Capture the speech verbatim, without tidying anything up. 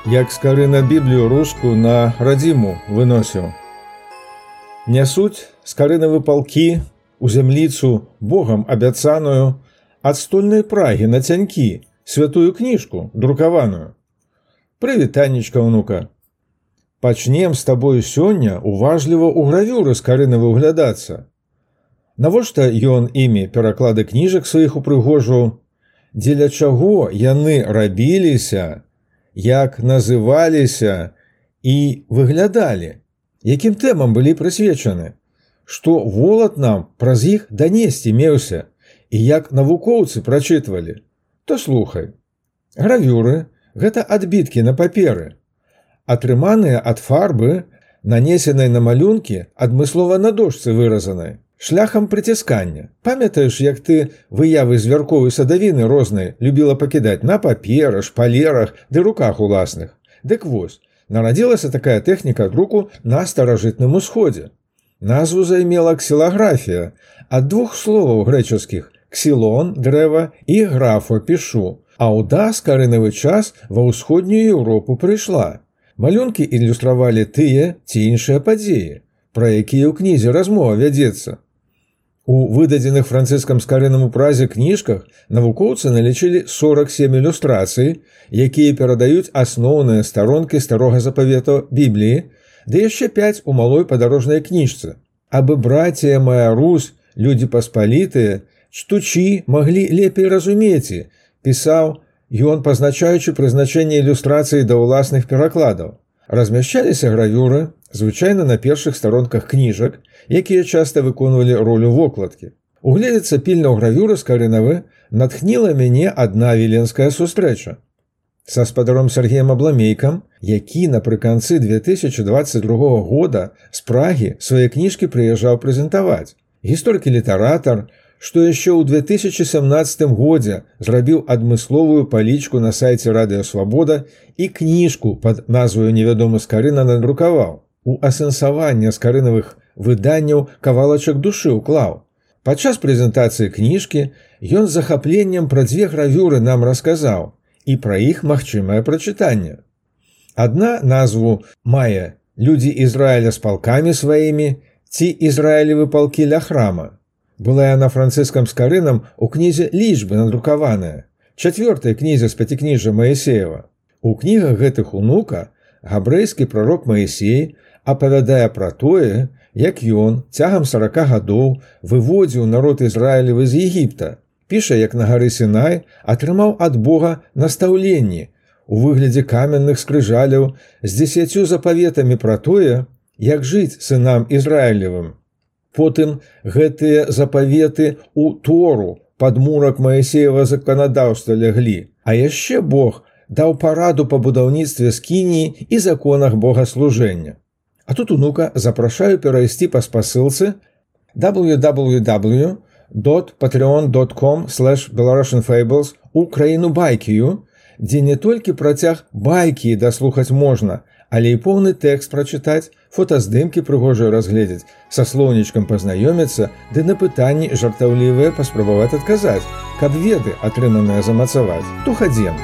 як скары на Біблію руску на радзіму выносіў. Нясуць скарынавы палкі у зямліцу Богам абяцаную ад стольнай прагі на цянькі, святую кніжку, друкаваную. Прывітаннічка, ўнука. Пачнем з табою сёння уважліва ў гравюры скарынавы ўглядацца. Навошта ён імі пераклады кніжак сваіх упрыгожваў? Дзеля чаго яны рабіліся, як называліся і выглядалі, якім тэмам былі прысвечаны, што волат нам праз іх данесці меўся і як навукоўцы прачытвалі, то слухай. Гравюры – гэта адбіткі на паперы, атрыманыя ад фарбы, нанесенай на малюнкі адмыслова на дошцы выразанай, шляхам прыціскання. Памятаеш, як ты выявы звярковай садавіны рознай любіла пакідаць на паперы, шпалерах ды руках уласных? Дык вось, нарадзілася такая тэхніка друку на старажытным усходзе. Назву займела ксілаграфія ад двух словаў грэчаскіх – ксілон, дрэва, і графо, пішу, а ў даскарынавы час ва ўсходнюю Еўропу прыйшла. Малюнкі ілюстравалі тыя ці іншыя падзеі, пра якія ў кнізе размова вядзецца. У выдадзеных францыскам скарынаму празе кніжках навукоўцы налічылі сорак сем ілюстрацый, якія перадаюць асноўныя старонкі старога запавета Бібліі, ды яшчэ пяць у малой падарожнай кніжцы. Абы братія моя Русь, людзі паспалітыя, чтучі маглі лепей разумець, пісаў ён, пазначаючы прызначэнне ілюстрацыі да ўласных перакладаў. Размяшчаліся гравюры, звычайна на першых старонках кніжак, якія часта выконвалі ролю вокладкі. Угледзецца пільна ў гравюры скарынавы натхніла мяне адна віленская сустрэча са спадаром Сергеем Абламейкам, які напрыканцы две тысячы дваццаць другога года з Прагі свае кніжкі прыязджаў прэзентаваць. Гісторык-літаратар, што яшчэ ў две тысячы сямнаццатым годзе зрабіў адмысловую палічку на сайце Радыё Свабода і кніжку пад назваю «Невядомы скарына» надрукаваў. У асэнсаванне скарынавых выданняў кавалачак душы ўклаў. Падчас прэзентацыі кніжкі ён з захапленнем пра дзве гравюры нам расказаў і пра іх магчымае прачытанне. Адна назву мае «Людзі Ізраіля з палкамі сваімі» ці «Ізраілевы палкі ля храма». Была яна францыскам скарынам у кнізе «Лічбы» надрукаваная, чацвёртай кнізе з пяцікніжжа Маісеева. У кнігах гэтых унука габрэйскі прарок Маісей апавядае пра тое, як ён цягам сарака гадоў выводзіў народ Ізраілевы з Егіпта, піша, як на гары Сінай атрымаў ад Бога настаўленні у выглядзе каменных скрыжаляў з дзесяццю запаветамі пра тое, як жыць сынам Ізраілевым. Потым гэтыя запаветы ў Тору пад мурак Маісеева заканадаўства ляглі, а яшчэ Бог даў параду па будаўніцтве скініі і законах богаслужэння. А тут унука запрашаю перайсці па спасылцы дабл ю дабл ю дабл ю крапка патрэон крапка ком слэш беларушн фэйблс у краіну байкію, дзе не толькі працяг байкі даслухаць можна, але і поўны тэкст прачытаць, фотаздымкі прыгожыя разгледзець, са слоўнічкам пазнаёміцца, ды на пытанні жартаўлівыя паспрабаваць адказаць, каб веды атрыманыя замацаваць. То хадзем.